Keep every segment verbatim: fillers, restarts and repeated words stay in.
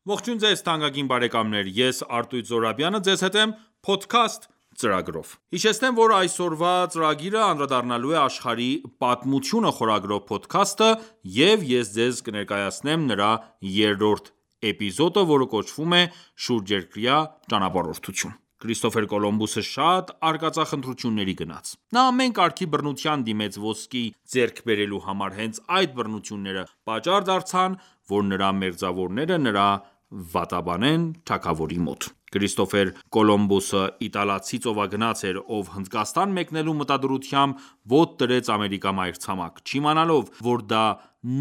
Ողջույն ձեզ թանկագին բարեկամներ, ես Արտույտ Զոհրաբյանը ձեզ հետ եմ Podcast ծրագրով։ Հիշեցնեմ, որ այսօրվա ծրագիրը անդրադառնալու է աշխարհի պատմությունը խորագրով փոդքասթը և ես ձեզ կներկայացնեմ նրա երրորդ էպիզոդը, որը կոչվում է «Շուրջերկրյա ճանապարհորդություն»։ Քրիստոֆեր Կոլումբոսը շատ արկածախնդրությունների գնաց։ Նա ամեն կարգի բռնության դիմեց ոսկի ձեռք բերելու համար, հենց այդ բռնությունները պատճառ դարձան, որ նրա մերձավորները նրա վատաբանեն թագավորի մոտ։ Քրիստոֆեր Կոլումբոսը իտալացի ծովագնաց էր, ով Հնդկաստան մեկնելու մտադրությամբ ոտք դրեց Ամերիկա մայրցամաք, չիմանալով, որ դա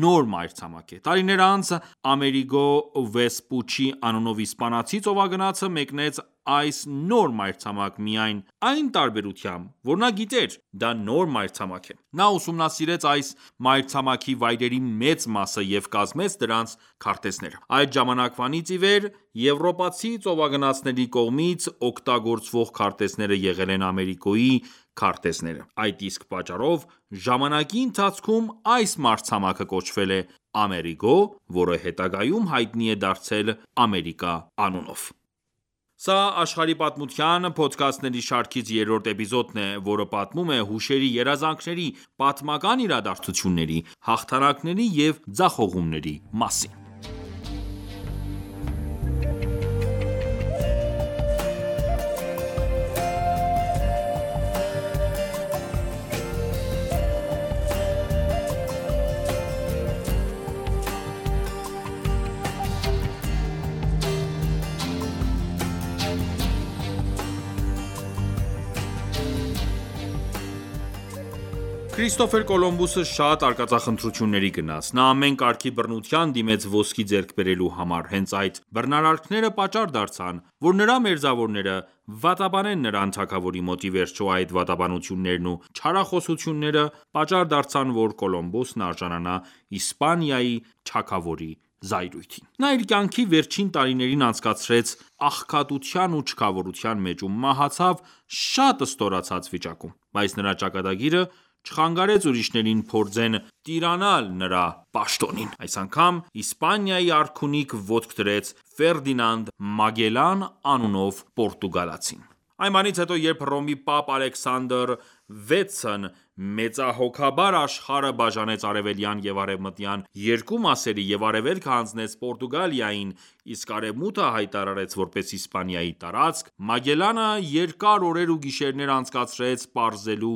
նոր մայրցամաք է։ Տարիներ անց Ամերիգո Վեսպուչի անունով իսպանացի ծովագնացը մեկնեց այս նոր մայրցամաք միայն այն տարբերությամբ, որ նա գիտեր՝ դա նոր մայրցամաք է։ Նա ուսումնասիրեց այս մայրցամաքի վայրերի մեծ մասը և կազմեց դրանց քարտեզները։ Այդ ժամանակվանից ի վեր եվրոպացի ծովագնացների կողմից օգտագործվող քարտեզները եղել են Ամերիկոյի քարտեզները։ Այդ իսկ պատճառով ժամանակի ընթացքում այս մայրցամաքը կոչվել է Ամերիգո, որը հետագայում հայտնի է դարձել Ամերիկա անունով։ Սա աշխարհի պատմության փոդքասթների շարքից երրորդ էպիզոդն է, որը պատմում է հուշերի, երազանքների, պատմական իրադարձությունների, հաղթանակների և ձախողումների մասին։ Քրիստոֆեր Կոլումբոսը շատ արկածախնդրությունների գնաց։ Նա ամեն կարգի բռնության դիմեց ոսկի ձեռք բերելու համար, հենց այդ բռնարարքները պատճառ դարձան, որ նրա մերձավորները վատաբանեն նրան թագավորի մոտ։ Ի վերջո, այդ վատաբանություններն ու չարախոսությունները պատճառ դարձան, որ Կոլումբոսն արժանանա Իսպանիայի թագավորի զայրույթին։ Նա իր կյանքի վերջին տարիներին անցկացրեց աղքատության ու չքավորության մեջ ու մահացավ շատ ստորացած վիճակում։ Բայց նրա ճակատագիրը չխանգարեց ուրիշներին փորձեն տիրանալ նրա պաշտոնին։ Այս անգամ Իսպանիայի արքունիք ոտք դրեց Ֆերդինանդ Մագելլան անունով պորտուգալացին։ Այն բանից հետո, երբ Հռոմի Պապ Ալեքսանդր վեցն մեծահոգաբար աշխարհը բաժանեց արևելյան և արևմտյան երկու մասերի և արևելքը հանձնեց Պորտուգալիային, իսկ արևմուտքը հայտարարեց որպես Իսպանիայի տարածք, Մագելլանը երկար օրեր ու գիշերներ անցկացրեց պարզելու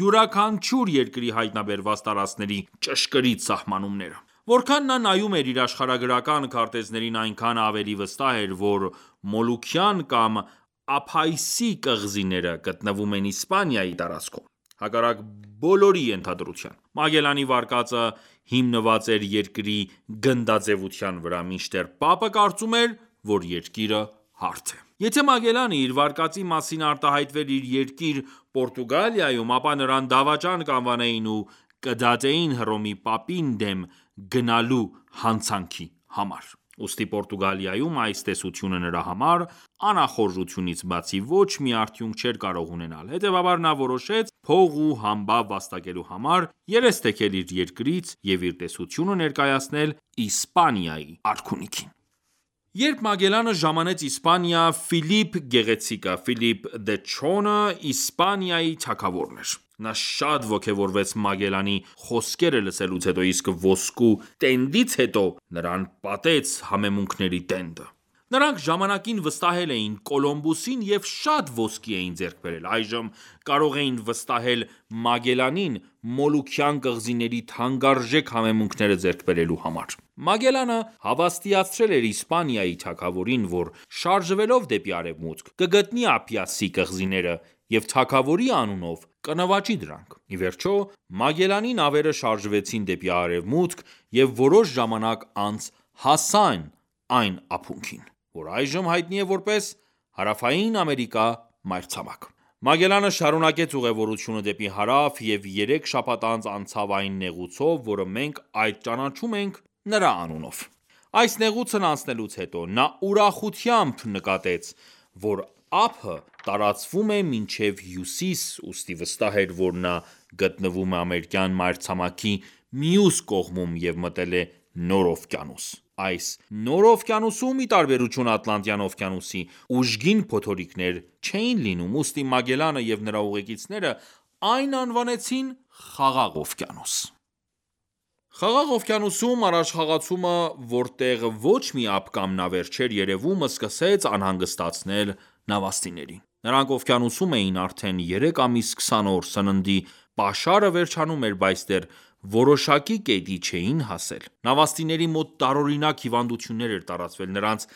յուրաքանչյուր երկրի հայտնաբերված տարածքների ճշգրիտ սահմանումները։ Որքան նա նայում էր իր աշխարհագրական քարտեզներին, այնքան ավելի վստահ էր, որ Մոլուքյան կամ Ափայսի կղզիները գտնվում են Իսպանիայի տարածքում։ Հակառակ բոլորի ենթադրության, Մագելլանի վարկածը հիմնված էր երկրի գնդաձևության վրա, մինչդեռ Պապը կարծում էր, որ երկիրը հարթ է։ Եթե Մագելլանը իր վարկածի մասին արտահայտվեր իր երկիր Պորտուգալիայում, ապա նրան դավաճան կանվանեին ու կդատեին Հռոմի Պապին դեմ գնալու հանցանքի համար։ Ուստի Պորտուգալիայում այս տեսությունը նրա համար անախորժությունից բացի ոչ մի արդյունք չէր կարող ունենալ։ Հետևաբար նա որոշեց փող ու համբավ վաստակելու համար երես թեքել իր երկրից և իր տեսությունը ներկայացնել Իսպանիայի արքունիքին։ Երբ Մագելլանը ժամանեց Իսպանիա, Ֆիլիպ Գեղեցիկը (Philip the Strong) Իսպանիայի թագավորն էր։ Նա շատ ոգևորվեց Մագելլանի խոսքերը լսելուց հետո, իսկ ոսկու տենդից հետո նրան պատեց համեմունքների տենդը։ Նրանք ժամանակին վստահել էին Կոլումբոսին և շատ ոսկի էին ձեռք բերել։ Այժմ կարող էին վստահել Մագելլանին Մոլուքյան կղզիների թանկարժեք համեմունքները ձեռք բերելու համար։ Մագելլանը հավաստիացրել էր Իսպանիայի թագավորին, որ շարժվելով դեպի արևմուտք, կգտնի Ափիասի կղզիները և թագավորի անունով կնվաճի դրանք։ Ի վերջո, Մագելլանի նավերը շարժվեցին դեպի արևմուտք և որոշ ժամանակ անց հասան այն ափունքին, որ այժմ հայտնի է որպես Հարավային Ամերիկա մայրցամաք։ Մագելլանը շարունակեց ուղևորությունը դեպի հարավ և երեք շաբաթ անց անցավ այն նեղուցով, որը մենք այժմ ճանաչում ենք նրա անունով։ Այս նեղուցն անցնելուց հետո նա ուրախությամբ նկատեց, որ ափը տարածվում է մինչև հյուսիս, ուստի վստահ էր, որ նա գտնվում է ամերիկյան մայրցամաքի մյուս կողմում և մտել է նոր օվկիանոս։ Այս նոր օվկիանոսում, ի տարբերություն Ատլանտյան օվկիանոսի, ուժգին փոթորիկներ չէին լինում, ուստի Մագելլանը և նրա ուղեկիցները այն անվանեցին Խաղաղ օվկիանոս։ Խաղաղ օվկիանոսում առաջխաղացումը, որտեղ ոչ մի ափ կամ նավեր չէր երևում, սկսեց անհանգստացնել նավաստիներին։ Նրանք օվկիանոսում էին արդեն երեք ամիս քսան օր, սննդի պաշարը վերջանում էր, բայց դեռ որոշակի կետի չէին հասել։ Նավաստիների մոտ տարօրինակ հիվանդություններ էր տարածվել, նրանց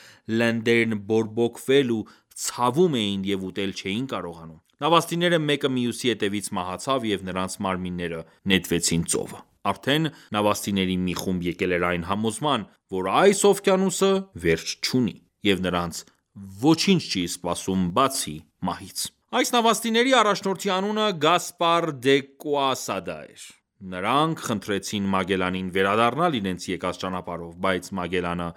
լենդերն բորբոքվել ու ցավում էին և ուտել չէին կարողանում։ Նավաստիները մեկը մյուսի հետևից մահացավ և նրանց մարմինները նետվեցին ծովը։ Արդեն նավաստիների մի խումբ եկել էր այն համոզման, որ այս օվկիանոսը վերջ չունի, և նրանց ոչինչ չի սպասում բացի մահից։ Այս նավաստիների առաջնորդի անունը Գասպար դե Կուասադա էր։ Նրանք խնդրեցին Մագելլանին վերադառնալ իրենց եկած ճանապարհով, բայց Մագելլանը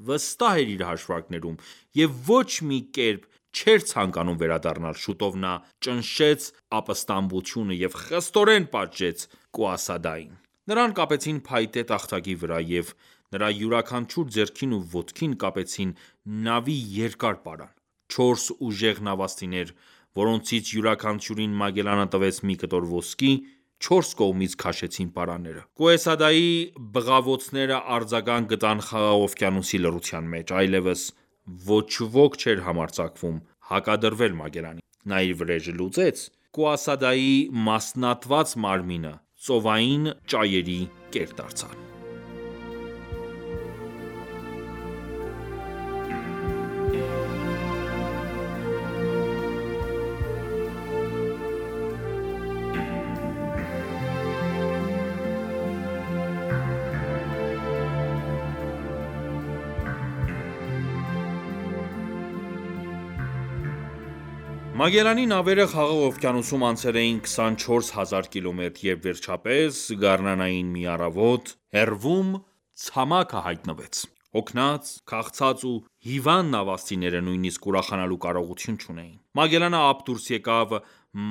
վստահ էր իր հաշվարկներում և ոչ մի կերպ չէր ցանկանում վերադառնալ։ Շուտով նա ճնշեց ապստամբությունը և խստորեն պատժեց Կուասադային։ Նրան կապեցին փայտե տախտակի վրա և նրա յուրաքանչյուր ձեռքին ու ոտքին կապեցին նավի երկար պարան։ Չորս ուժեղ նավաստիներ, որոնցից յուրաքանչյուրին Մագելլանը տվեց մի կտոր ոսկի, չորս կողմից քաշեցին պարանները։ Կուասադայի բղավոցները արձագանք գտան Խաղաղ օվկիանոսի լռության մեջ։ Այլևս ոչ ոք չէր համարձակվում հակադրվել Մագելլանին։ Նա իր վրեժը լուծեց։ Կուասադայի մասնատված մարմինը ծովային ճայերի կեր դարձավ։ Մագելլանի նավերը Խաղաղ օվկիանոսում անցել էին քսանչորս հազար կիլոմետր, երբ վերջապես գարնանային մի առավոտ, հեռվում ցամաքը հայտնվեց։ Հոգնած, քաղցած ու հիվանդ նավաստիները նույնիսկ ուրախանալու կարողություն չունեին։ Մագելլանը ափ դուրս եկավ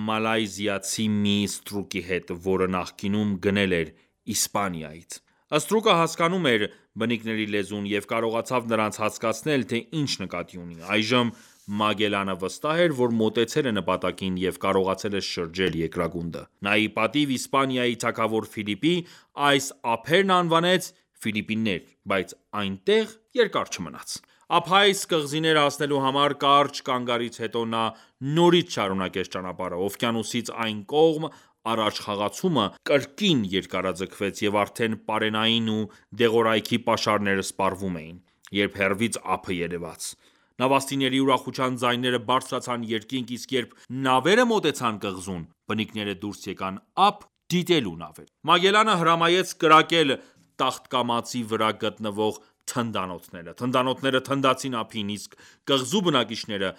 մալայզիացի մի ստրուկի հետ, որը նախկինում գնել էր Իսպանիայից։ Ստրուկը հասկանում էր բնիկների լեզուն և կարողացավ նրանց հասկացնել, թե ինչ նկատի ունի։ Այժմ Մագելլանը վստահ էր, որ մոտեցել է նպատակին և կարողացել է շրջել երկրագունդը։ Նա ի պատիվ Իսպանիայի թագավոր Ֆիլիպի, այս ափերն անվանեց Ֆիլիպիններ, բայց այնտեղ երկար չմնաց։ Ափայս կղզիներ հասնելու համար կարճ կանգառից հետո նա նորից շարունակեց ճանապարհը։ Օվկիանոսից այն կողմ առաջխաղացումը կրկին երկարաձգվեց, և արդեն պարենային ու դեղորայքի պաշարները սպառվում էին, երբ հեռվից ափը երևաց։ Նավաստիների ուրախության ձայները բարձրացան երկինք, իսկ երբ նավերը մոտեցան կղզուն, բնիկները դուրս եկան ափ դիտելու նավերը։ Մագելլանը հրամայեց կրակել տախտակամածի վրա գտնվող թնդանոթները։ Թնդանոթները թնդացին ափին, իսկ կղզու բնակիչները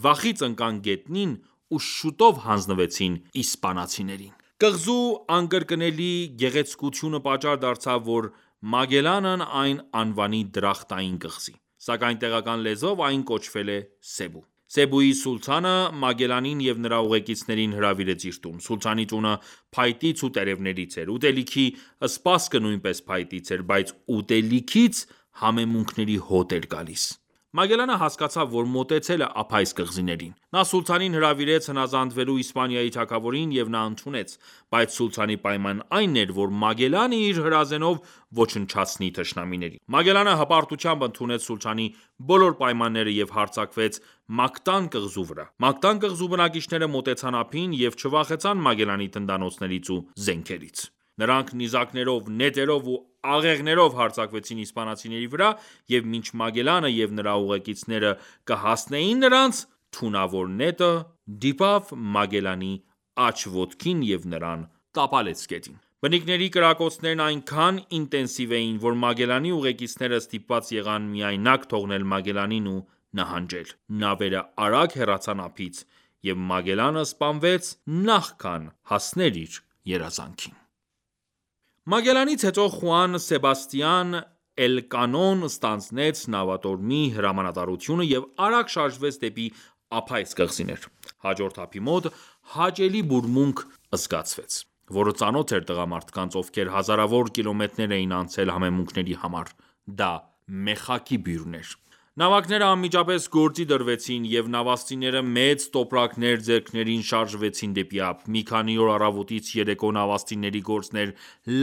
վախից ընկան գետնին ու շուտով հանձնվեցին իսպանացիներին։ Կղզու անկրկնելի գեղեցկությունը պատճառ դարձավ, որ Մագելլանն այն անվանի Դրախտային կղզի, սակայն տեղական լեզվով այն կոչվել է Սեբու։ Սեբուի սուլթանը Մագելլանին և նրա ուղեկիցներին հրավիրեց իր տուն։ Սուլթանի տունը փայտից ու տերևներից էր։ Ուտելիքի սպասքը նույնպես փայտից էր, բայց ուտելիքից համեմունքների հոտ էր գալիս։ Մագելլանը հասկացավ, որ մոտեցել է ափայս կղզիներին։ Նա սուլթանին հրավիրեց հնազանդվելու Իսպանիայի թագավորին, և նա ընդունեց։ Բայց սուլթանի պայմանն այն էր, որ Մագելլանը իր հրազենով ոչնչացնի թշնամիներին։ Մագելլանը հպարտությամբ ընդունեց սուլթանի բոլոր պայմանները և հարձակվեց Մակտան կղզու վրա։ Մակտան կղզու բնակիչները մոտեցան ափին և չվախեցան Մագելլանի թնդանոթներից ու զենքերից։ Նրանք նիզակներով, նետերով ու աղեղներով հարձակվեցին իսպանացիների վրա, և մինչ Մագելլանը և նրա ուղեկիցները կհասնեին նրանց, թունավոր նետը դիպավ Մագելլանի աջ ոտքին և նրան տապալեց գետին։ Բնիկների կրակոցներն այնքան ինտենսիվ էին, որ Մագելլանի ուղեկիցները ստիպված եղան միայնակ թողնել Մագելլանին ու նահանջել։ Նավերը արագ հեռացան ափից, և Մագելլանը սպանվեց նախքան հասներ իր երազանքին։ Մագելլանից հետո Խուան Սեբաստիան Էլկանոն ստանձնեց նավատորմի հրամանատարությունը և արագ շարժվեց դեպի ափայս կղզիներ։ Հաջորդ ափի մոտ հաճելի բուրմունք զգացվեց, որը ծանոթ էր տղամարդկանց, ովքեր հազարավոր կիլոմետրեր էին անցել համեմունքների համար։ Դա մեխակի բյուրներ։ Նավակները անմիջապես գործի դրվեցին, և նավաստիները մեծ տոպրակներ ձեռքներին շարժվեցին դեպի ափ։ Մի քանի օր առավոտից երեկո նավաստիների գործն էր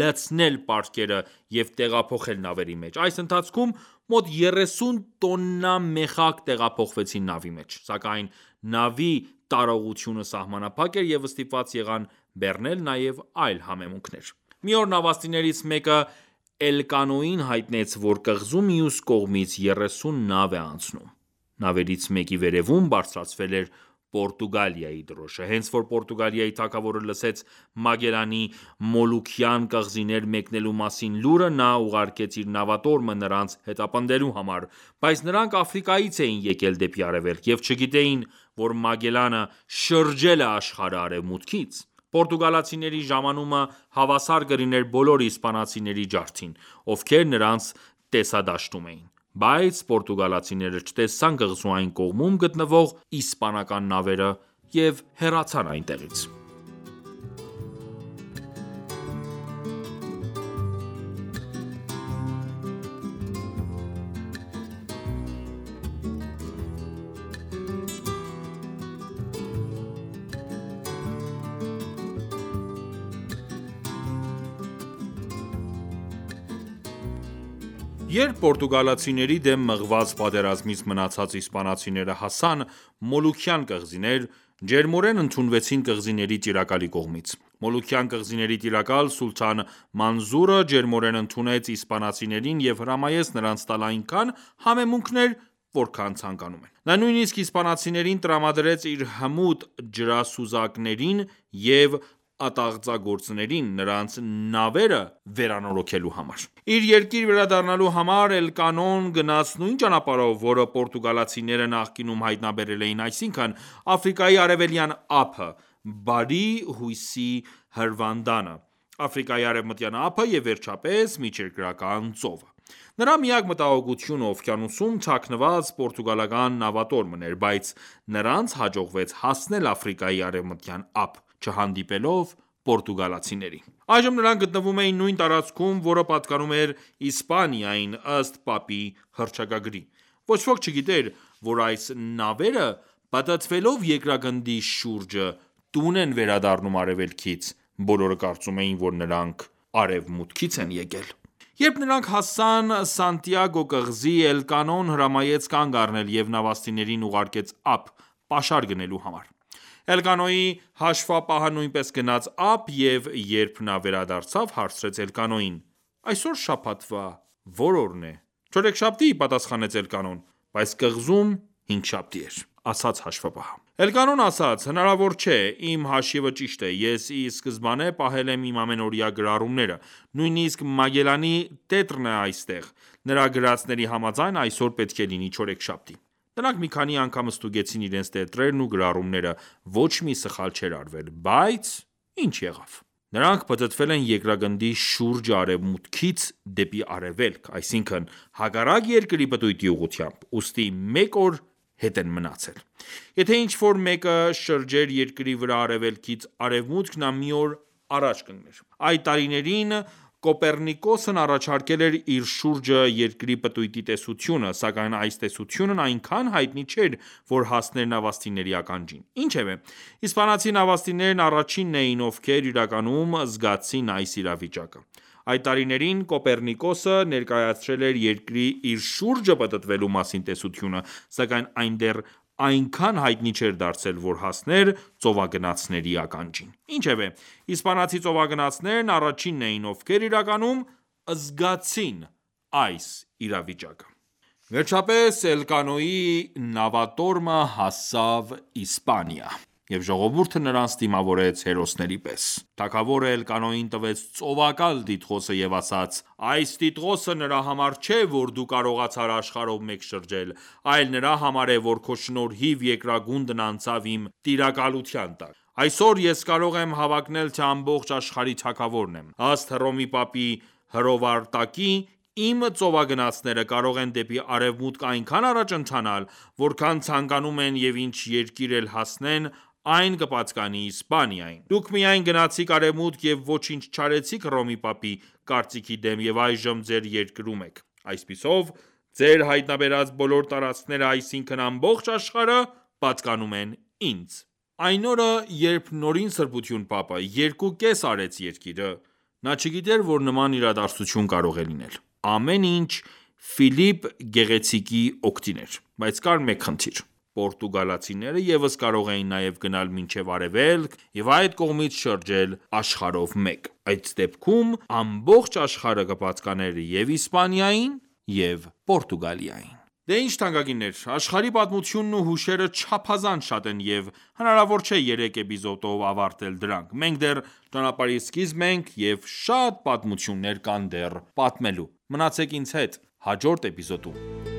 լցնել պարկերը և տեղափոխել նավերի մեջ։ Այս ընթացքում մոտ երեսուն տոննա մեխակ տեղափոխվեցին նավի մեջ։ Սակայն նավի տարողությունը սահմանափակ էր, և ստիպված եղան բեռնել նաև այլ համեմունքներ։ Մի օր նավաստիներից մեկը Էլկանոյին հայտնեց, որ կղզու մյուս կողմից երեսուն նավ է անցնում։ Նավերից մեկի վերևում բարձրացվել էր Պորտուգալիայի դրոշը։ Հենց որ Պորտուգալիայի թագավորը լսեց Մագելանի Մոլուքյան կղզիներ մեկնելու մասին լուրը, նա ուղարկեց իր նավատորմը նրանց հետապնդելու համար, բայց նրանք Աֆրիկայից էին եկել դեպի արևելք և չգիտեին, որ Մագելանը շրջել է աշխարհը արևմուտքից։ Պորտուգալացիների ժամանումը հավասար կլիներ բոլոր իսպանացիների ջարդին, ովքեր նրանց տեսադաշտում էին։ Բայց պորտուգալացիները չտեսան կղզու այն կողմում գտնվող իսպանական նավերը և հեռացան այնտեղից։ Երբ պորտուգալացիների դեմ մղված պատերազմից մնացած իսպանացիները հասան Մոլուքյան կղզիներ, ջերմորեն ընդունվեցին կղզիների տիրակալի կողմից։ Մոլուքյան կղզիների տիրակալ Սուլթան Մանզուրը ջերմորեն ընդունեց իսպանացիներին և հրամայեց նրանց տալ այնքան համեմունքներ, որքան ցանկանում են։ Նա նույնիսկ իսպանացիներին տրամադրեց իր հմուտ ջրասուզակներին և ատաղձագործներին նրանց նավերը վերանորոգելու համար։ Իր երկիր վերադառնալու համար Էլկանոն գնաց նույն ճանապարհով, որը պորտուգալացիները նախկինում հայտնաբերել էին, այսինքն՝ Աֆրիկայի արևելյան ափը, Բարի հույսի հրվանդանը, Աֆրիկայի արևմտյան ափը և վերջապես Միջերկրական ծովը։ Նրա միակ մտահոգությունը օվկիանոսում թաքնված պորտուգալական նավատորմն էր, բայց նրանց հաջողվեց հասնել Աֆրիկայի արևմտյան ափ՝ չհանդիպելով պորտուգալացիներին։ Այժմ նրանք գտնվում էին նույն տարածքում, որը պատկանում էր Իսպանիային ըստ Պապի հռչակագրի։ Ոչ ոք չգիտեր, որ այս նավերը, պտտվելով երկրագնդի շուրջը, տուն են վերադառնում արևելքից, բոլորը կարծում էին, որ նրանք արևմուտքից են եկել։ Երբ նրանք հասան Սանտիագո կղզի, Էլկանոն հրամայեց կանգ առնել և նավաստիներին ուղարկեց ափ՝ պաշար գնելու համար։ Էլկանոյի հաշվապահը նույնպես գնաց ափ և երբ նա վերադարձավ, հարցրեց Էլկանոյին.«Այսօր շաբաթվա ո՞ր օրն է»։ «Չորեքշաբթի», պատասխանեց Էլկանոն։ «Բայց կղզում հինգշաբթի էր»,- ասաց հաշվապահը։ Էլկանոն ասաց.«Հնարավոր չէ, իմ հաշիվը ճիշտ է, ես ի սկզբանե պահել եմ իմ ամենօրյա գրառումները։ Նույնիսկ Մագելանի տետրն է այստեղ։ Նրա գրածների համաձայն, այսօր պետք է լինի չորեքշաբթի»։ Նրանք մի քանի անգամ ստուգեցին իրենց տետրերն ու գրառումները, ոչ մի սխալ չէր արվել, բայց ի՞նչ եղավ։ Նրանք պտտվել են երկրագնդի շուրջը արևմուտքից դեպի արևելք, այսինքն՝ հակառակ երկրի պտույտի ուղղությամբ, ուստի մեկ օր հետ են մնացել։ Եթե ինչ-որ մեկը շրջեր երկրի վրա արևելքից արևմուտք, նա մի օր առաջ կընկներ։ Այդ տարիներին Կոպեռնիկոսն առաջարկել էր իր շուրջը երկրի պտույտի տեսությունը, սակայն այս տեսությունն այնքան հայտնի չէր, որ հասներ նավաստիների ականջին։ Ինչևէ, իսպանացի նավաստիներն առաջինն էին, ովքեր իրականում զգացին այս իրավիճակը։ Այդ տարիներին Կոպեռնիկոսը ներկայացրել էր երկրի իր շուրջը պտտվելու մասին տեսությունը, սակայն այն դեռ այնքան հայտնի չէր դարձել, որ հասներ ծովագնացների ականջին։ Ինչևէ, իսպանացի ծովագնացներն առաջինն էին, ովքեր իրականում զգացին այս իրավիճակը։ Վերջապես Էլկանոյի նավատորմը հասավ Իսպանիա, և ժողովուրդը նրանց դիմավորեց հերոսների պես։ Թագավորը Էլկանոյին տվեց ծովակալ տիտղոսը և ասաց.«Այս տիտղոսը նրա համար չէ, որ դու կարողացար աշխարհով մեկ շրջել, այլ նրա համար է, որ քո շնորհիվ երկրագունդն անցավ իմ տիրակալության տակ։ Այսօր ես կարող եմ հավակնել, թե ամբողջ աշխարհի թագավորն եմ։ Ըստ Հռոմի Պապի հրովարտակի, իմ ծովագնացները կարող են դեպի արևմուտք այնքան առաջ ընթանալ, որքան ցանկանում են և ինչ երկիր էլ հասնեն, այն կպատկանի Իսպանիային։ Դուք միայն գնացիք արևմուտք և ոչինչ չարեցիք Հռոմի Պապի կարծիքի դեմ և այժմ ձեր երկրում եք։ Այսպիսով, Ձեր հայտնաբերած բոլոր տարածքները, այսինքն ամբողջ աշխարհը, պատկանում են ինձ: Այն օրը, երբ Նորին Սրբություն Պապը երկու կես արեց երկիրը, նա չգիտեր, որ նման իրադարձություն կարող է լինել: Ամեն ինչ Ֆիլիպ Գեղեցիկի օգտին էր: Բայց կար մեկ խնդիր: Պորտուգալացիները ևս կարող էին նաև գնալ մինչև արևելք և այդ կողմից շրջել աշխարհով մեկ: Այդ դեպքում ամբողջ աշխարհը կպատկաներ և Իսպանիային և Պորտուգալիային: Դե ինչ թանկագիններ, աշխարհի պատմությունն ու հուշերը չափազանց շատ են և հնարավոր չէ երեք էպիզոդով ավարտել դրանք: Մենք դեռ ճանապարհի սկիզբն ենք և շատ պատմություններ կան դեռ պատմելու: Մնացեք ինձ հետ հաջորդ էպիզոդում: